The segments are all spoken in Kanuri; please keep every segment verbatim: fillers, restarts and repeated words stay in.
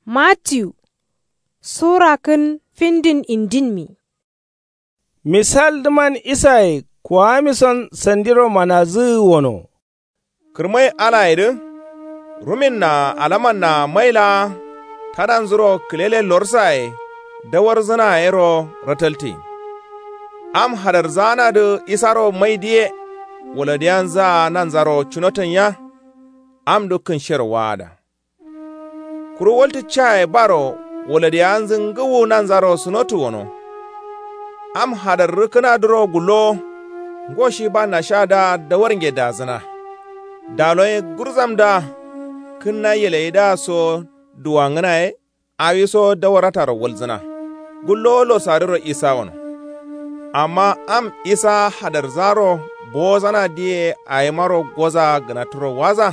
Mattiyu sura kǝn findin indinmi. Misaldǝman isaye kuwamison sandiro manazǝgǝ wono. Kǝrmai alayedǝ ruminna alamanna mai laa tadanzuro kǝlele lorsaye dawarzǝna yero rataltǝgin. Am hadarzaanadǝ isaro maidǝye waladiyanzǝa nanzaro cunotanya. Amdǝ kǝnshero waada. Kuru waltǝ caye baro waladiyanzǝ ngǝwu nanzaro sǝnotǝ wono. Am hadarrǝ kǝnadǝro gullowo. Ngo shi ba nashadǝa dawarnge dazǝna. Daloye gurzamdǝa kǝnna yelayidǝa so duwangǝnaye. Awiso dawarrataro walzǝna. Gullowo lorsaridǝro isa wono. Amma am isa hadarzaaro bowozanadǝye awimaro goza gǝnatǝro waza.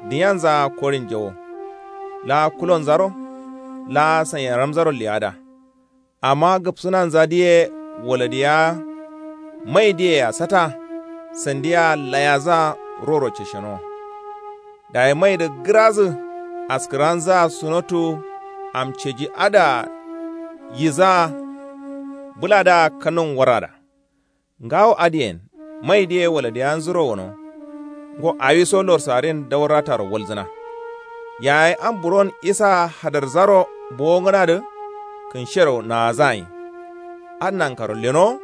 Diyanzǝa korin jawo. Laa kulonzaro laa sanyaramzaro leyada. Amma gǝpsǝnanzadǝye waladiya maidǝyea sata. Sandiya layazǝa roro cesheno. Dayi maidǝ gǝrazǝ askǝranzǝa sunotu. Am ceji adǝa yizǝa bǝladǝa kanun warada. Ngawo adǝyen maidǝye waladiyanzuro wono. Ngo awiso lorsarin dawarrataro walzǝna. Yayi am buron isa hadarzaro bowongǝnadǝ kǝnshero naazagin. Adǝ nankaro lenowo.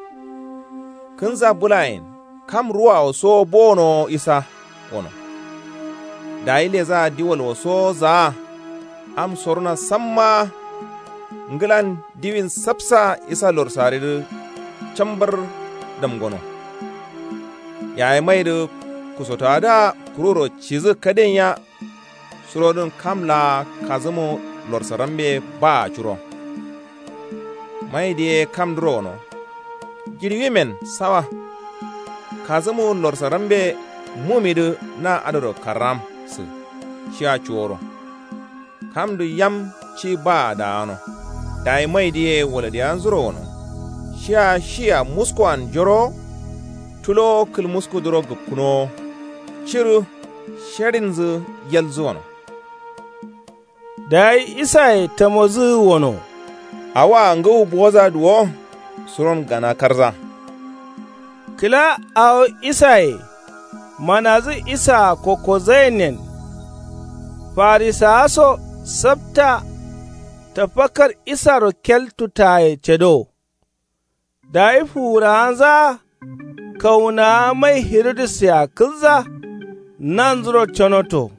Kǝnza bǝlayen kam ruwawo sowo bowonowo isa wono. Dayi lezaa diwal wo sowo zaa. Am sorona sammaa. Ngǝlan diwin sapsa isa lorsaridǝ cambar damgono. Yayi maidǝ kusotowadǝa kururo cidǝ kadenya. Surodǝn kam laa kazǝmu lorsarambe baa curo. Maidǝ ye kamdǝro wono. Jiɍiwimen sawa. Kazǝmu lorsarambe mumidǝ na adǝro karramsǝ. Shiya cuworo. Kamdǝ yam ci baa daano. Dayi maidǝ ye waladiyanzuro wono. Shiya shiya muskoan jorowo. Tulowo kǝlmuskudǝro gǝpkǝnowo. Cirǝ. Sharinzǝ yalzǝ wono. Dayi isaye tamozǝgǝ wono. Awoa ngǝwu bowozadǝ wo. Suron gana karza. Kǝla awo isaye manazǝ isaa kokkozayennen. Farisawa so sapta. Tafakkar isaro keltu taye cado. Dayi fuwurawanzaa kawunawa mai hirudussea kǝlza. Nanzuro canoto.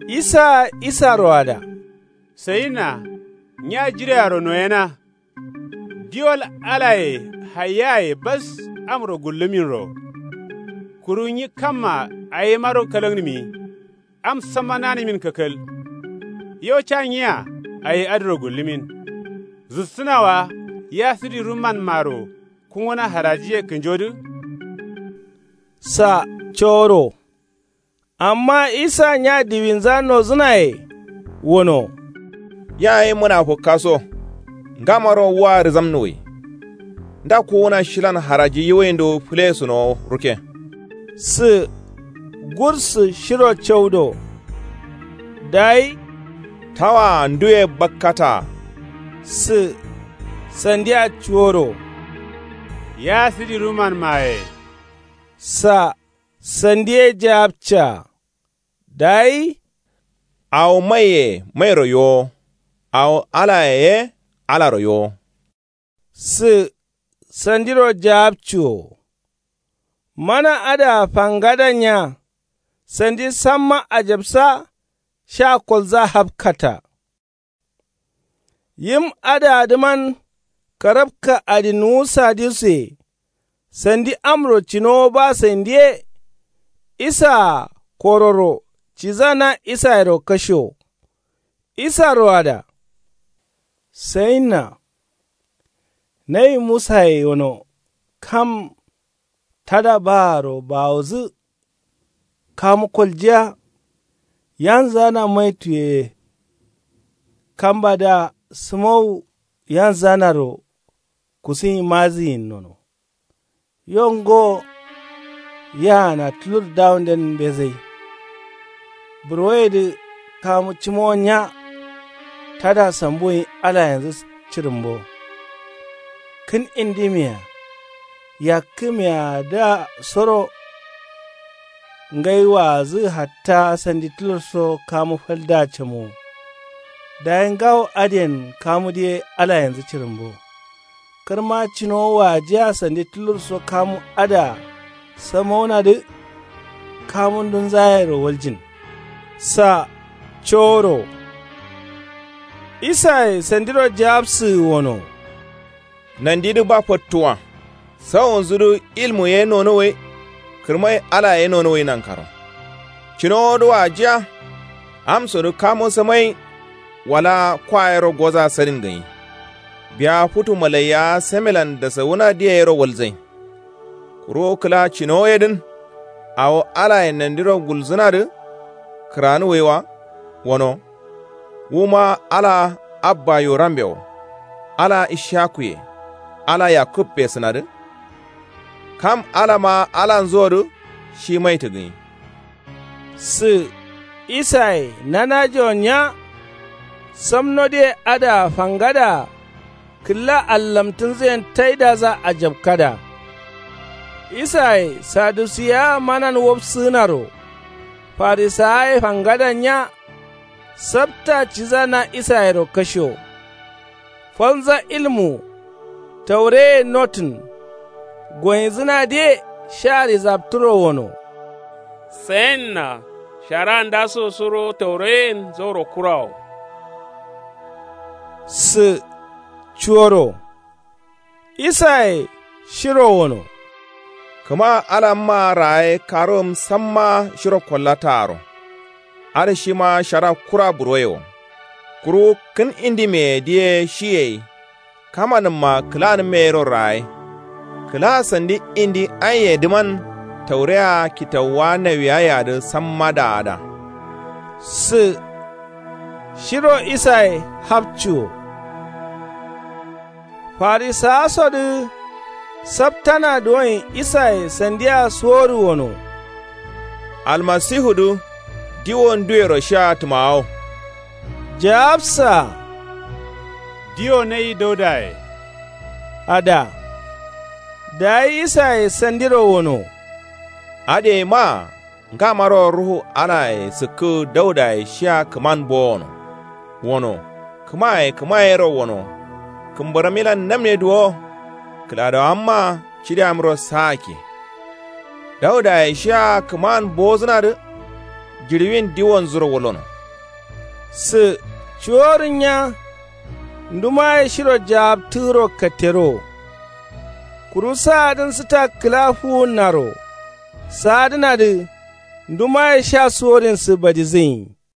Isaa isaroada. Sayinna nya jirearo noyena. Diwal alaye hayyaye bas amro gullǝminro. Kuru nyi kamma awimaro kalagnǝmi. Am samma nanǝmin kakal. Yo ca nyia awi adǝro gullumin. Zussǝna wa ya sǝdi rumman maro kunguna harajiye kǝnjodǝ. Sa coro. Amma isa nya diwinza nozǝnaye wono. Yayi munafukka so. Ngamaro wa rǝzamnuwai. Nda kuwuna shilan haraji yiwuwindu fǝlesǝnowo rukke. Sǝ gursǝ shiro caudo. Dayi. Tawaa nduye bakkata. Sǝ sandiya cuworo. Ya sǝdi ruman maye. Sa sandiye jawabca. Dayi. Awo maiye mairo yowo. Awo alaye ye alaro yowo. Sǝ sandiro jawabciwo. Mana adǝa fangada nya. Sandi samma ajabsa. Sha kolza hapkata. Yim adǝadǝman karabka adǝ nuwu saduse. Sandi amro cinowo ba sandiye. Isaa kororo ciza na isayero kasho. Isaro ada. Sayinna. Nayi musaye wono kam tada baaro bawozǝ. Kamu koljiya. Yanzana maituye. Kambadǝa sǝmowu yanzanaro. Kusuyin mazǝyin nono. Yo ngo. Yaana tulur dawunden mbezai. Burwoyedǝ kamu cǝmowo nya. Tada sambuwuyin alayenzu cirǝmbo. Kǝn indimiya yakkǝmiyadǝa soro. Ngai waazǝ hatta sandi tulurso kamu faldǝa camowo. Dayi ngawo adǝyen kamudǝ ye alayenzu cirǝmbo. Kǝrma cinowo waajiya sandi tulurso kamu adǝa samaunadǝ. Kamundunzayero waljin. Sa coworo. Isaye sandiro jaabsǝgǝ wono. Nandidǝ ba fottuwa. Sawonzudǝ ilmu ye nonuwai. Kǝrmai ala ye nonuwai nankaro. Cinowodǝ waajiya. Amsodǝ kamo samai. Wala kwa yero goza sadin gǝnyi. Biya futu malaiya samelan dasawuna diya yero walzain. Kuru kǝla cinowo yedǝn. Awo alaye nandiro gulzǝnadǝ. Kǝranuwai wa wono. Wuma ala abba yorambe wo. Ala ishakuye. Ala yakubbe sǝnadǝ. Kam alama alanzodǝ. Shi maitǝ gǝnyi. Sǝ isaye nanajewo nya. Samnodǝye adǝa fangada. Kǝlla allamtǝnzǝyen taidaza ajabkada. Isaye sadusiya manan wobsǝgǝnaro. Farisawaye fangada nya. Sabta ciza na isayero kasho. Falnza ilmu. Taureye notǝn. Goyinzǝnadǝye sha rizabtǝro wono. Sayenna. Shara ndaso suro taureyen zauro kurawo. Sǝ cuworo. Isaye shiro wono. Kǝma alamma raye karuwum samma shiro kollataaro. Adǝ shima shara kura buroye wo. Kuru kǝn indimeye diye shiyeyi. Kamanǝmma kǝlanǝmmeyero raye. Kǝla sandi indi anyiyedǝman. Taureya kitawuwa nawiyayedǝ samma daada. Sǝ shiro isaye hapcuwo. Farisawasodǝ saptana duwoin isaye sandiya suworǝ wono. Almasihudǝ diwo nduwero shia tǝmawo. Jawabsa. Diwo nai daudaye. Ada. Dayi isaye sandiro wono. Adǝ yeima. Ngamaro ruhu alaye sǝkkǝ daudaye shia kǝman bowono. Wono kǝmaye kǝmayero wono. Kǝmbǝramilan namne duwo. Kǝladawamma cideamro saake. Daudaye shia kǝman bowozǝnadǝ. Jiɍiwin diwonzuro wullono. Sǝ cuworǝ nya. Ndumaye shiro jaabtǝgǝro katterowo. Kuru saadǝn sǝta kǝla fuwunnaro. Saadǝnadǝ ndumaye sha suworinsǝ badizǝnyi.